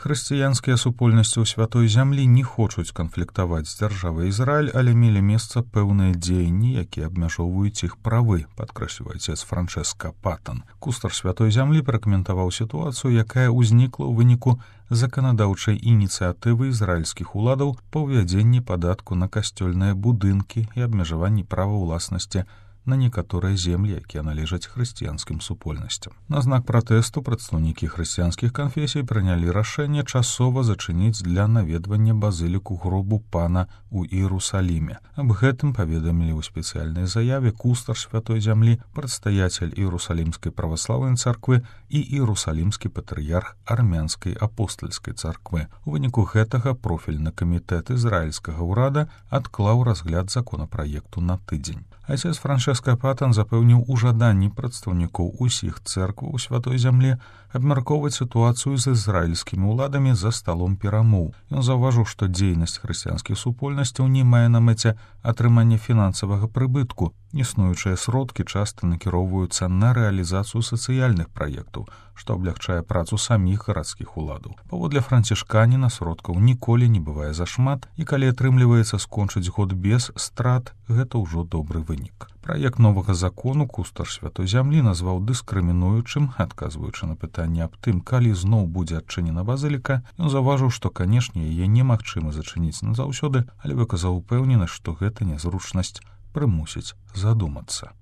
Хрысціянскія супольнасці ў святой зямлі не хочуць канфліктаваць з дзяржавай Ізраіль, але мелі месца пэўныя дзеянні, якія абмяжоўваюць іх правы, падкрэслівае отец Франчэска Патан. Кустар святой зямлі пракаментаваў сітуацыю, якая ўзнікла ў выніку заканадаўчай ініцыятывы ізраільскіх уладаў па ўвядзенні падатку на касцёльныя будынкі і абмежаванні права ўласнасці на некаторыя землі, якія належаць хрысціянскім супольнасцям. На знак пратэсту прадстаўнікі хрысціянскіх канфесій прынялі рашэнне часова зачыніць для наведвання базыліку гробу пана ў Іерусаліме. Аб гэтым паведамілі ў спецыяльнай заяве кустар святой зямлі, прадстаяцель Іерусалімскай праваслаўнай царквы і Іерусалімскі патрыярх армянскай апостальскай царквы. У выніку гэтага профільны камітэт ізраільскага ўрада адклаў разгляд законапраекту на тыдзень. Отец Франчэска Патан запэўніў у жаданні прадстаўнікоў усіх цэркваў у святой зямлі абмяркоўваць сітуацыю з ізраільскімі ўладамі за сталом перамоў. Ён заўважыў, што дзейнасць хрысціянскіх супольнасцяў не мае на мэце атрымання фінансавага прыбытку. Існуючыя сродкі часта накіроўваюцца на рэалізацыю сацыяльных праектаў, што аблягчае працу саміх гарадскіх уладаў. Паводле францішканіна сродкаў ніколі не бывае зашмат, і калі атрымліваецца скончыць год без страт, гэта ўжо добры вынік. Праект новага закону кустар святой зямлі назваў дыскрымінуючым, адказваючы на пытанне аб тым, калі зноў будзе адчынена базыліка. Ён заўважыў, што, канешне, яе немагчыма зачыніць назаўсёды, але выказаў упэўненасць, што гэта нязручнасць прымусіць задумацца.